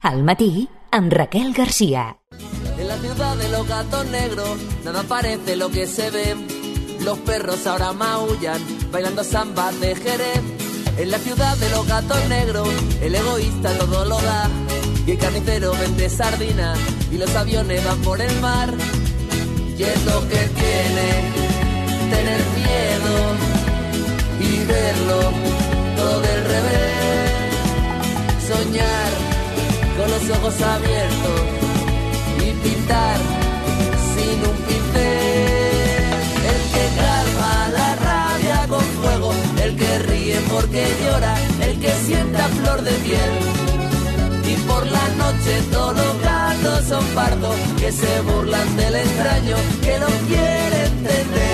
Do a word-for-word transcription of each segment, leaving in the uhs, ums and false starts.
Al matí, amb Raquel García. En la ciudad de los gatos negros, nada parece lo que se ve. Los perros ahora maullan, bailando samba de Jerez. En la ciudad de los gatos negros, el egoísta todo lo da. Y el carnicero vende sardinas, y los aviones van por el mar. Y es lo que tiene tener miedo y verlo todo del revés. Soñar con los ojos abiertos y pintar sin un pincel. El que calma la rabia con fuego, el que ríe porque llora, el que sienta flor de piel. Y por la noche todos los gatos son pardos, que se burlan del extraño, que no quiere entender.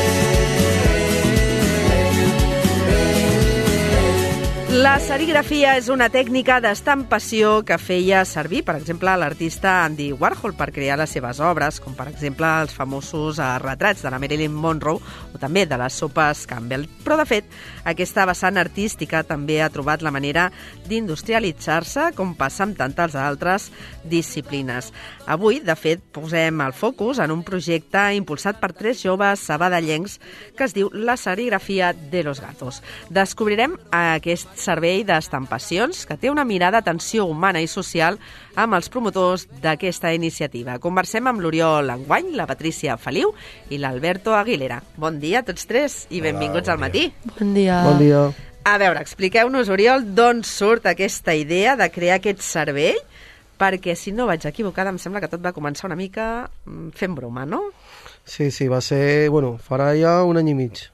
La serigrafia és una tècnica d'estampació que feia servir, per exemple, l'artista Andy Warhol per crear les seves obres, com per exemple els famosos retrats de la Marilyn Monroe o també de les sopes Campbell. Però, de fet, aquesta vessant artística també ha trobat la manera d'industrialitzar-se, com passa amb tantes altres disciplines. Avui, de fet, posem el focus en un projecte impulsat per tres joves sabadellencs que es diu La serigrafia de los gatos. Descobrirem aquest servei d'estampacions que té una mirada d'atenció humana i social amb els promotors d'aquesta iniciativa. Conversem amb l'Oriol Enguany, la Patrícia Feliu i l'Alberto Aguilera. Bon dia a tots tres i benvinguts Hola, al matí. Bon dia. Bon dia. A veure, expliqueu-nos, Oriol, d'on surt aquesta idea de crear aquest servei, perquè si no vaig equivocada em sembla que tot va començar una mica fent broma, no? Sí, sí, va ser, bueno, farà ja un any i mig.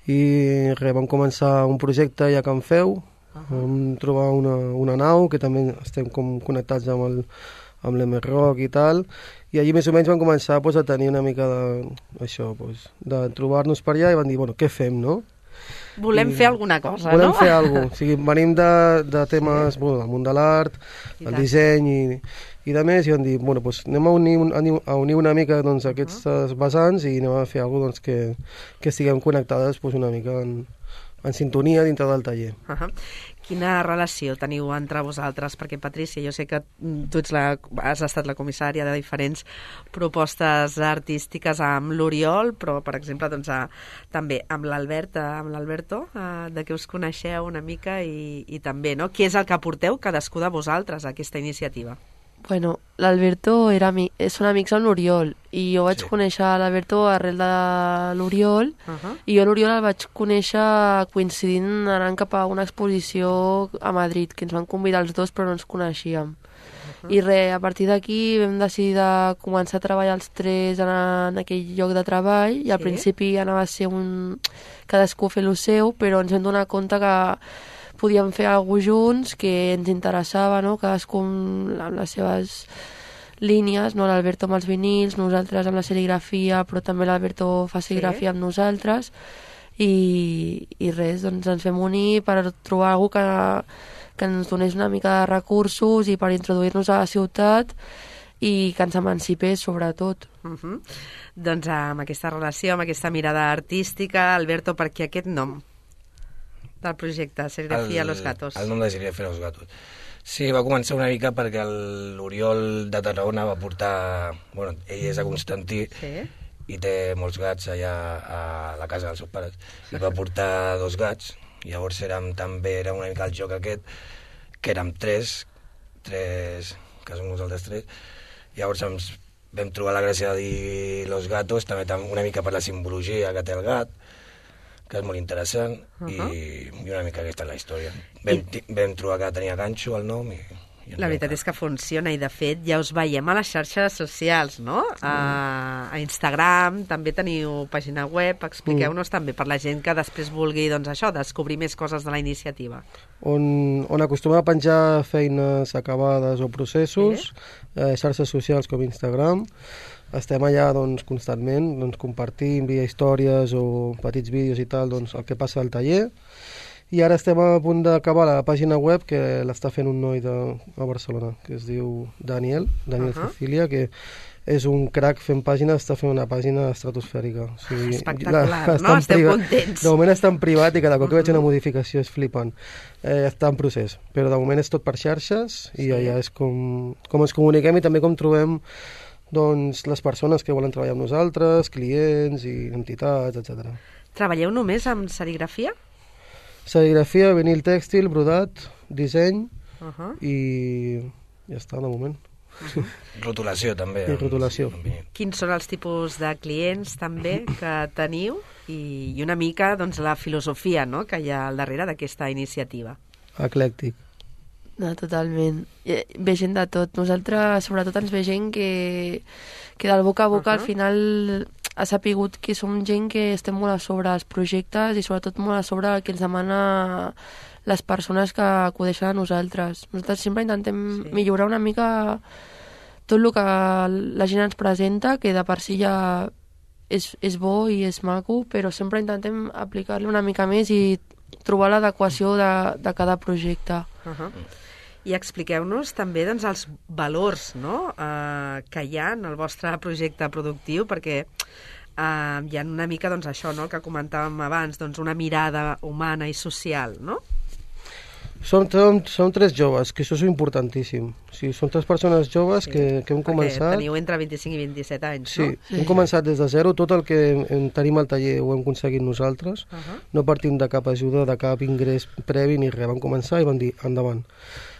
I res, vam començar un projecte ja a Can Feu, uh-huh. Vam trobar una, una nau, que també estem com connectats amb el amb l'M Rock i tal, i allí més o menys vam començar pues, a tenir una mica de, això, pues, de trobar-nos per allà i vam dir, bueno, què fem, no? Volem I fer alguna cosa, volem no? Volem fer alguna cosa. O sigui, venim de, de temes sí. bueno, del món de l'art, el disseny i, i de més, i vam dir, bueno, pues, anem a unir, a unir una mica doncs, aquests uh-huh. vessants i anem a fer alguna cosa doncs, que, que estiguem connectades pues, una mica en, en sintonia dintre del taller. Uh-huh. Quina relació teniu entre vosaltres? Perquè, Patrícia, jo sé que tu ets la, has estat la comissària de diferents propostes artístiques amb l'Oriol, però, per exemple, doncs, a, també amb l'Albert, amb l'Alberto, a, de què us coneixeu una mica i, i també, no? Què és el que aporteu cadascú de vosaltres a aquesta iniciativa? Bueno, l'Alberto era ami- són amics amb l'Oriol i jo vaig sí. conèixer l'Alberto arrel de l'Oriol uh-huh. i jo l'Oriol el vaig conèixer coincidint anant cap a una exposició a Madrid, que ens van convidar els dos però no ens coneixíem. Uh-huh. I res, a partir d'aquí vam decidir de començar a treballar els tres en, en aquell lloc de treball i al sí. principi anava a ser un... cadascú fer lo seu, però ens vam donar compte que podíem fer alguna junts, que ens interessava, no? Cadascú amb les seves línies, no? L'Alberto amb els vinils, nosaltres amb la serigrafia, però també l'Alberto fa serigrafia sí. amb nosaltres, i, i res, doncs ens vam unir per trobar algú que, que ens donés una mica de recursos i per introduir-nos a la ciutat i que ens emancipés, sobretot. Uh-huh. Doncs amb aquesta relació, amb aquesta mirada artística, Alberto, per què aquest nom del projecte, Serigrafia a los Gatos? El nom de Serigrafia a los Gatos. Sí, va començar una mica perquè l'Oriol de Tarragona va portar... Bueno, ell és a Constantí sí. i té molts gats allà a la casa dels seus pares. I va portar dos gats, i llavors érem, també era una mica el joc aquest, que érem tres, tres, que som nosaltres tres, i llavors ens vam trobar la gràcia de dir los gatos, també una mica per la simbologia que té el gat, que és molt interessant, uh-huh. i, i una mica aquesta és la història. Vam, I... vam trobar que tenia ganxo el nom i... i la veritat és que funciona i, de fet, ja us veiem a les xarxes socials, no? Mm. A, a Instagram, també teniu pàgina web, expliqueu-nos mm. també per la gent que després vulgui, doncs això, descobrir més coses de la iniciativa. On, on acostumem a penjar feines acabades o processos, sí. eh, xarxes socials com Instagram. Estem allà doncs, constantment doncs, compartint via històries o petits vídeos i tal doncs, el que passa al taller I ara estem a punt d'acabar la pàgina web, que l'està fent un noi de, a Barcelona, que es diu Daniel, Daniel uh -huh. Cecilia, que és un crac fent pàgines, està fent una pàgina estratosfèrica. O sigui, espectacular, la, no? Estem contents. De moment està en privat i cada cop que veig una modificació és flipant. Eh, està en procés, però de moment és tot per xarxes i sí. allà és com, com ens comuniquem i també com trobem doncs, les persones que volen treballar amb nosaltres, clients i entitats, etcètera. Treballeu només amb serigrafia? Serigrafia, vinil tèxtil, brodat, disseny uh -huh. i ja està, de moment. Uh -huh. Rotulació, també. I rotulació. Quins són els tipus de clients, també, que teniu? I, i una mica, doncs, la filosofia, no?, que hi ha al darrere d'aquesta iniciativa. Eclèctic. No, totalment. Ve gent de tot. Nosaltres, sobretot, ens ve gent que, que del boca a boca, uh -huh. al final ha sapigut que som gent que estem molt a sobre els projectes i sobretot molt a sobre el que ens demana les persones que acudeixen a nosaltres. Nosaltres sempre intentem sí. millorar una mica tot el que la gent ens presenta, que de per si ja és, és bo i és maco, però sempre intentem aplicar-li una mica més i trobar l'adequació de, de cada projecte. Uh -huh. I expliqueu-nos també doncs, els valors, no?, eh, que hi ha en el vostre projecte productiu, perquè eh, hi ha una mica doncs, això, no?, el que comentàvem abans, doncs, una mirada humana i social, no? Som, som, som tres joves, que això és importantíssim. O sigui, som tres persones joves sí. que, que hem començat... Perquè teniu entre vint-i-cinc i vint-i-set anys, sí, no? Sí, hem començat des de zero. Tot el que hem, tenim al taller ho hem aconseguit nosaltres. Uh -huh. No partim de cap ajuda, de cap ingrés previ ni res. Vam començar i vam dir, endavant.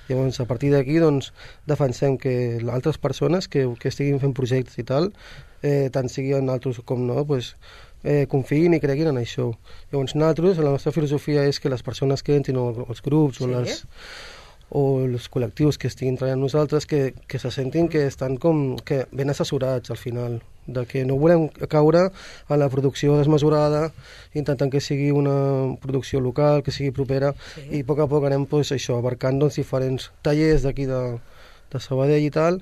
Llavors, a partir d'aquí, doncs, defensem que altres persones que, que estiguin fent projectes i tal, eh, tant siguin altres com no, doncs, eh, confiïn i creguin en això. Llavors, nosaltres, la nostra filosofia és que les persones que entrin, o els grups, sí. o, les, o els col·lectius que estiguin treballant nosaltres, que, que se sentin que estan com, que ben assessorats al final, de que no volem caure en la producció desmesurada, intentant que sigui una producció local, que sigui propera, sí. i a poc a poc anem pues, això, abarcant doncs, diferents tallers d'aquí de, de Sabadell i tal,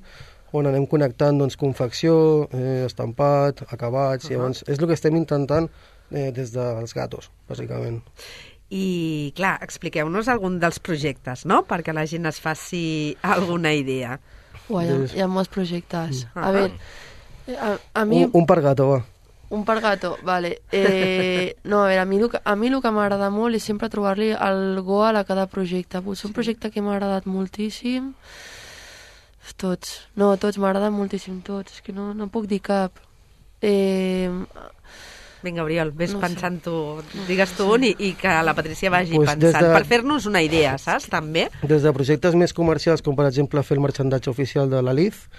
on anem connectant doncs, confecció, eh, estampat, acabats, uh -huh. llavors és el que estem intentant eh, des dels gatos, bàsicament. I, clar, expliqueu-nos algun dels projectes, no?, perquè la gent es faci alguna idea. Uai, hi, ha, hi ha molts projectes. Uh -huh. A veure, a, a mi... Un, un per gato, va. Un per gato, vale. Eh, no, a veure, a mi el que, a mi el que m'agrada molt és sempre trobar-li el goal a cada projecte. Potser un projecte que m'ha agradat moltíssim... Tots. No, tots, m'agraden moltíssim tots. És que no, no puc dir cap. Eh... Vinga, Oriol, vés no pensant sé. tu. Digues tu un i, i que la Patricia vagi pues pensant. de... Per fer-nos una idea, saps, també? Des de projectes més comercials, com per exemple fer el marxandatge oficial de la L I Z,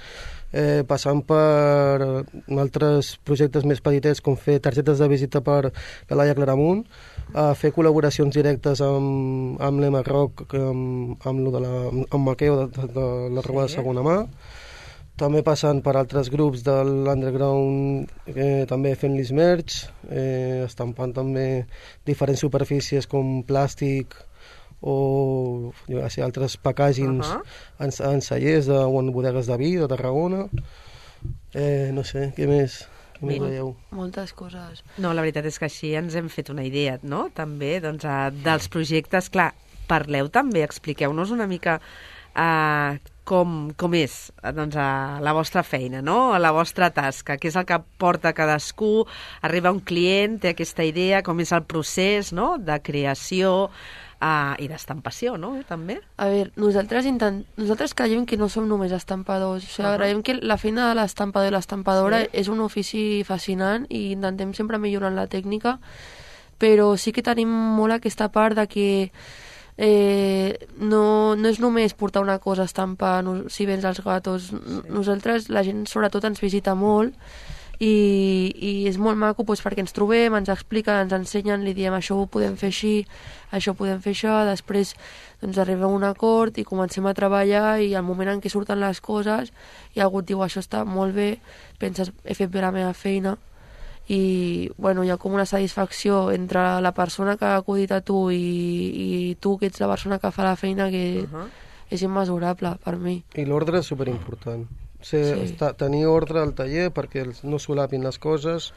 eh, passant per altres projectes més petitets, com fer targetes de visita per la Laia Claramunt, a fer col·laboracions directes amb, amb l'Emma Rock, amb, amb, lo de la, amb Maqueo de, de, de la roba sí. de segona mà, també passant per altres grups de l'underground, eh, també fent-los merch, eh, estampant també diferents superfícies com plàstic o jo sé, altres packagings uh -huh. en, en cellers de, o en bodegues de vi de Tarragona. Eh, no sé, què més? Què veieu? Moltes coses. No, la veritat és que així ens hem fet una idea, no?, també, doncs, a, dels projectes. Clar, parleu també, expliqueu-nos una mica uh, com, com és doncs, a la vostra feina, no?, a la vostra tasca, què és el que porta cadascú, arriba un client, té aquesta idea, com és el procés, no?, de creació uh, i d'estampació, no?, també. A veure, nosaltres, intent... nosaltres creiem que no som només estampadors, o sigui, uh -huh. creiem que la feina de l'estampador i l'estampadora sí. és un ofici fascinant i intentem sempre millorar la tècnica, però sí que tenim molt aquesta part de que Eh, no, no és només portar una cosa a estampar no, si vens als gatos. Sí. Nosaltres, la gent sobretot ens visita molt i, i és molt maco doncs, perquè ens trobem, ens expliquen, ens ensenyen, li diem això ho podem fer així, això ho podem fer això, després doncs, arriba un acord i comencem a treballar i al moment en què surten les coses i algú et diu això està molt bé, penses he fet bé la meva feina i bueno, hi ha com una satisfacció entre la persona que ha acudit a tu i, i tu que ets la persona que fa la feina que uh -huh. és immesurable per mi. I l'ordre és superimportant. ser, Sí. estar, tenir ordre al taller perquè els- no solapin les coses,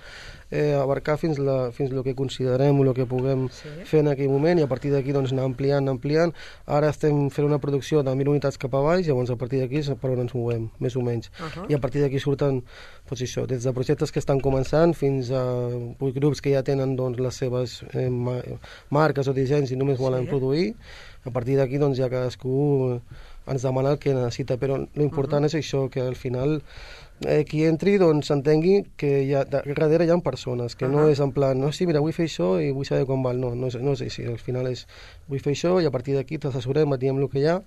eh, abarcar fins, la, fins el que considerem o el que puguem Sí. fer en aquell moment, i a partir d'aquí doncs, anar ampliant, anar ampliant. Ara estem fent una producció de mil unitats cap a baix, llavors a partir d'aquí és per on ens movem, més o menys. Uh-huh. I a partir d'aquí surten doncs, això, des de projectes que estan començant fins a grups que ja tenen doncs, les seves eh, ma marques o dissenys i només volen Sí. produir. A partir d'aquí doncs, ja cadascú ens demana el que necessita, però l'important uh -huh. és això, que al final eh, qui entri doncs entengui que hi ha, darrere hi ha persones, que uh -huh. no és en plan, no, sí, mira, vull fer això i vull saber quan val, no, no és, no és així, al final és, vull fer això i a partir d'aquí t'assessorem, et diem el que hi ha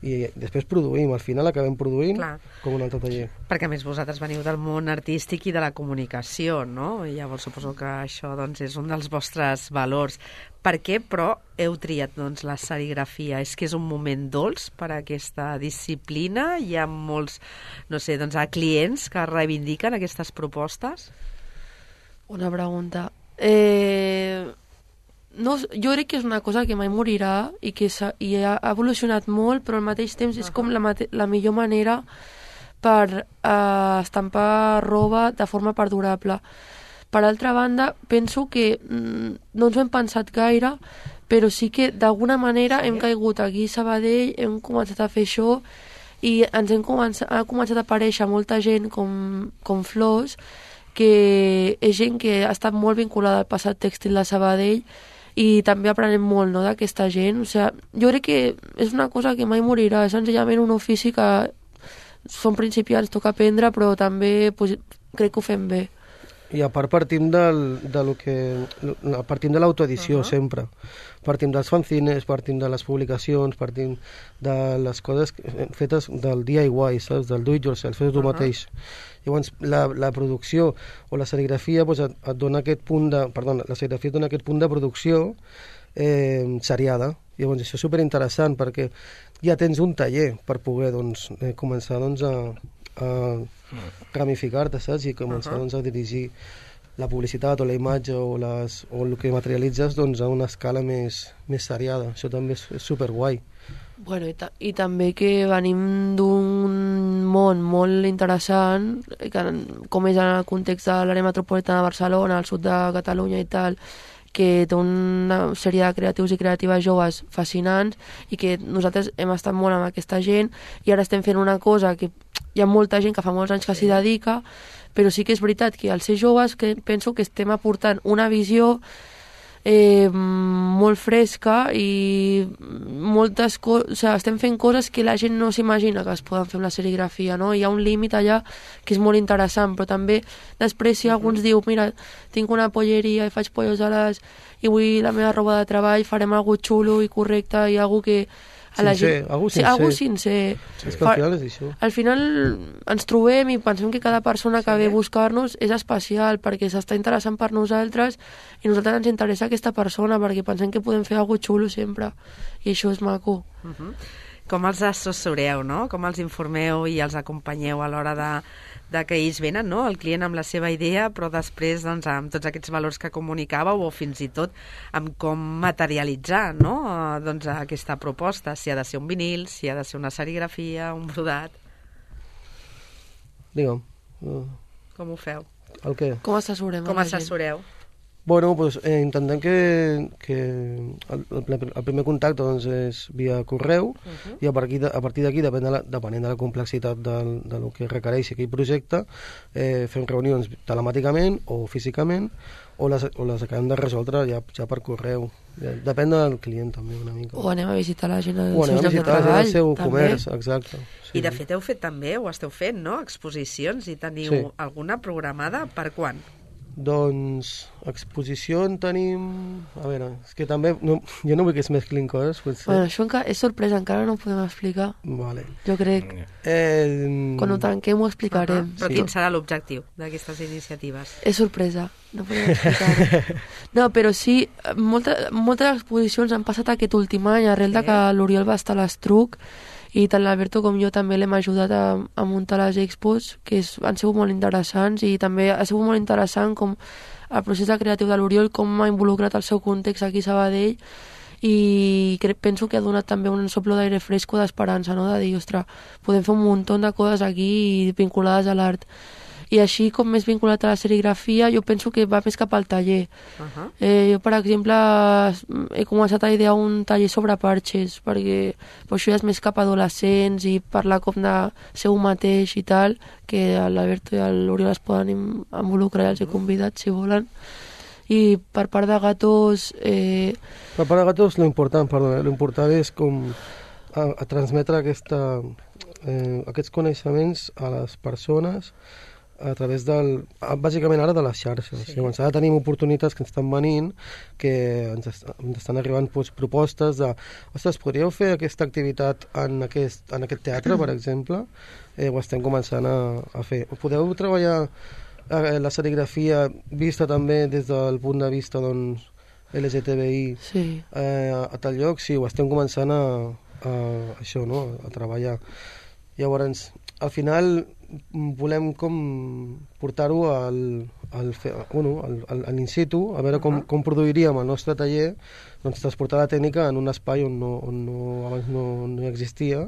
i després produïm, al final acabem produint Clar. com un altre taller. Perquè a més vosaltres veniu del món artístic i de la comunicació, no? I llavors suposo que això doncs, és un dels vostres valors. Per què, però, heu triat doncs, la serigrafia? És que és un moment dolç per a aquesta disciplina? Hi ha molts, no sé, doncs, clients que reivindiquen aquestes propostes? Una pregunta. Eh, no, jo crec que és una cosa que mai morirà i que ha, i ha evolucionat molt, però al mateix temps és com la, mate, la millor manera per eh, estampar roba de forma perdurable. Per altra banda, penso que mm, no ens ho hem pensat gaire, però sí que d'alguna manera sí. hem caigut aquí a Sabadell, hem començat a fer això i ens hem començat, ha començat a aparèixer molta gent com, com Flors, que és gent que ha estat molt vinculada al passat tèxtil de Sabadell i també aprenem molt, no, d'aquesta gent. O sigui, jo crec que és una cosa que mai morirà, és senzillament un ofici que som principiants, toca aprendre, però també pues, crec que ho fem bé. I a part partim del, de lo que, partim de l'autoedició uh -huh. sempre. Partim dels fanzines, partim de les publicacions, partim de les coses fetes del D I Y, saps? Del do it yourself, fes tu uh -huh. mateix. Llavors, la, la producció o la serigrafia pues, et, et dona aquest punt de... Perdó, la serigrafia et dona aquest punt de producció eh, seriada. Llavors, això és superinteressant perquè ja tens un taller per poder doncs, eh, començar doncs, a... a ramificar-te, saps? I començar uh -huh. doncs, a dirigir la publicitat o la imatge o, les, o el que materialitzes doncs, a una escala més, més seriada. Això també és, és superguai. Bueno, i, ta i també que venim d'un món molt interessant, que, com és en el context de l'àrea metropolitana de Barcelona, al sud de Catalunya i tal, que té una sèrie de creatius i creatives joves fascinants i que nosaltres hem estat molt amb aquesta gent i ara estem fent una cosa que hi ha molta gent que fa molts anys que s'hi dedica, però sí que és veritat que als ser joves que penso que estem aportant una visió eh, molt fresca i moltes coses, o sigui, estem fent coses que la gent no s'imagina que es poden fer amb la serigrafia, no? Hi ha un límit allà que és molt interessant, però també després si algú ens diu, mira, tinc una polleria i faig pollos a les i vull la meva roba de treball, farem algú xulo i correcte i algú que a la sincer, gent... algú sí, sincer. algú sincer. És que al final és això. Al final ens trobem i pensem que cada persona que ve a buscar-nos és especial perquè s'està interessant per nosaltres i a nosaltres ens interessa aquesta persona perquè pensem que podem fer alguna cosa xulo sempre i això és maco. Uh -huh. Com els assessoreu, no? Com els informeu i els acompanyeu a l'hora de, de que ells venen, no? El client amb la seva idea, però després doncs, amb tots aquests valors que comunicàveu o fins i tot amb com materialitzar, no? Doncs, aquesta proposta, si ha de ser un vinil, si ha de ser una serigrafia, un brodat. Digue'm. Uh, Com ho feu? el què? Com assessorem Com a la gent? assessoreu? Bueno, pues, eh, intentem que, que el, el, el primer contacte doncs, és via correu uh -huh. i a partir, de, a partir d'aquí, depèn de la, depenent de la complexitat del, de lo que requereixi aquell projecte, eh, fem reunions telemàticament o físicament o les, o les acabem de resoldre ja, ja per correu. Ja, depèn del client també una mica. O anem a visitar la gent al o anem seu a lloc de visitar la gent treball, al seu també. comerç, exacte. Sí. I de fet heu fet també, o esteu fent, no? Exposicions i teniu Sí. alguna programada per quan? Doncs exposició en tenim... A veure, és que també... No, jo no vull que es mesclin coses, potser. Bueno, això enca és sorpresa, encara no ho podem explicar. Vale. Jo crec. Eh, Quan ho tanquem ho explicarem. Uh -huh. Però Sí. quin serà l'objectiu d'aquestes iniciatives? És sorpresa, no podem explicar. No, però sí, molta, moltes exposicions han passat aquest últim any, arrel de que l'Oriol va estar a l'Estruc, i tant l'Alberto com jo també l'hem ajudat a, a muntar les expos, que és, han sigut molt interessants, i també ha sigut molt interessant com el procés de creatiu de l'Oriol, com ha involucrat el seu context aquí a Sabadell, i crec, penso que ha donat també un soplo d'aire fresco d'esperança, no? De dir, ostres, podem fer un munt de coses aquí vinculades a l'art. I així, com més vinculat a la serigrafia, jo penso que va més cap al taller. Uh-huh. eh, jo, per exemple, he començat a idear un taller sobre parxes, perquè pues, això ja és més cap a adolescents i parlar com de ser un mateix i tal, que l'Alberto i l'Oriol es poden involucrar i els he convidat, si volen. I per part de Gatos... Eh... Per part de Gatos, l'important, perdona, l'important és com a, a transmetre aquesta, eh, aquests coneixements a les persones a través del... bàsicament ara de les xarxes. Sí. Llavors, ara tenim oportunitats que ens estan venint, que ens, est ens estan arribant doncs, propostes de ostres, podríeu fer aquesta activitat en aquest, en aquest teatre, per exemple? Eh, ho estem començant a, a fer. Podeu treballar eh, la serigrafia vista també des del punt de vista doncs, L G T B I sí. eh, a tal lloc? Sí, ho estem començant a, a això, no? A treballar. Llavors, al final volem com portar-ho al, al, bueno, al, al, al in situ, a veure com, com produiríem el nostre taller, doncs transportar la tècnica en un espai on, no, on no, abans no, no existia,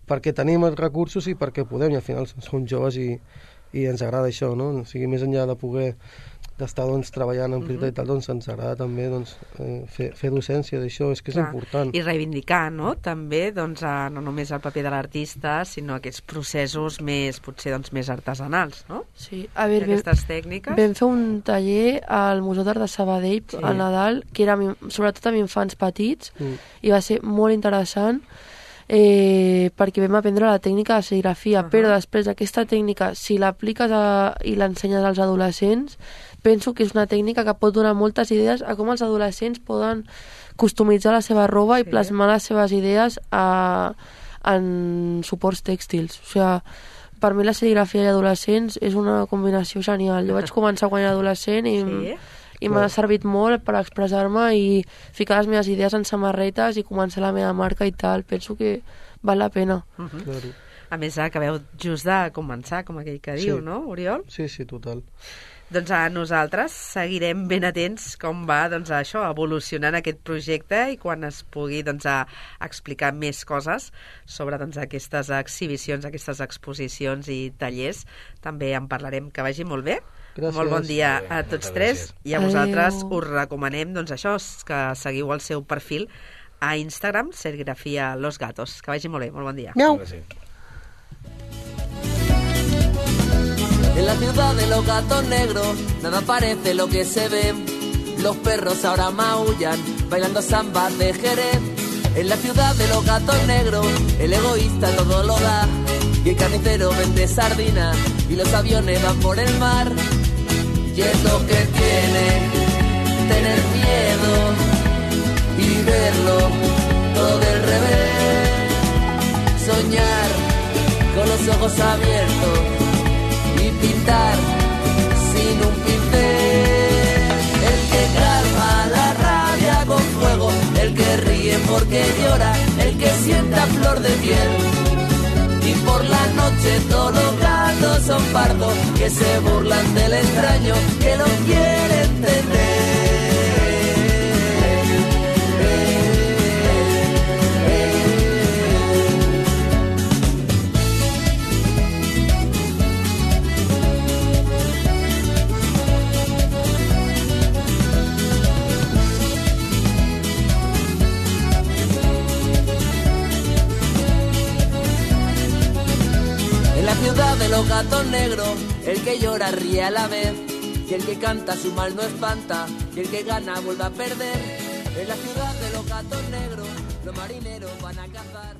perquè tenim els recursos i perquè podem, i al final som joves i, i ens agrada això, no? O sigui, més enllà de poder d'estar doncs, treballant en propietat i tal, doncs ens agrada també doncs, eh, fer, fer docència d'això, és que és Clar. important. I reivindicar, no?, també, doncs, a, no només el paper de l'artista, sinó aquests processos més, potser, doncs, més artesanals, no? Sí, a veure, aquestes tècniques. Vam fer un taller al Museu d'Art de Sabadell sí. al Nadal, que era sobretot amb infants petits, mm. i va ser molt interessant, eh, perquè vam aprendre la tècnica de serigrafia, uh -huh. però després aquesta tècnica, si l'apliques a, i l'ensenyes als adolescents, penso que és una tècnica que pot donar moltes idees a com els adolescents poden customitzar la seva roba sí. i plasmar les seves idees a, en suports tèxtils. O sigui, per mi la serigrafia i adolescents és una combinació genial. Jo vaig començar quan era adolescent i, sí. i m'ha servit molt per expressar-me i ficar les meves idees en samarretes i començar la meva marca i tal. Penso que val la pena. Uh -huh. Claro. A més, acabeu just de començar, com aquell que diu, sí. no, Oriol? Sí, sí, total. Doncs a nosaltres seguirem ben atents com va doncs, això, evolucionant aquest projecte i quan es pugui doncs, a explicar més coses sobre doncs, aquestes exhibicions, aquestes exposicions i tallers. També en parlarem. Que vagi molt bé. Gràcies. Molt bon dia a tots tres. I a vosaltres Adeu. us recomanem doncs, això, que seguiu el seu perfil a Instagram, Serigrafia Los Gatos. Que vagi molt bé. Molt bon dia. Miau. En la ciudad de los gatos negros, nada parece lo que se ve. Los perros ahora maullan, bailando samba de Jerez. En la ciudad de los gatos negros, el egoísta todo lo da. Y el carnicero vende sardina, y los aviones van por el mar. Y es lo que tiene, tener miedo y verlo todo del revés. Soñar con los ojos abiertos y pintar sin un pincel. El que calma la rabia con fuego, el que ríe porque llora, el que sienta flor de piel. Y por la noche todos los gatos son pardos, que se burlan del extraño, que lo quiere entender. Ciudad de los gatos negros, el que llora ríe a la vez, y el que canta su mal no espanta, y el que gana vuelve a perder. En la ciudad de los gatos negros, los marineros van a cazar.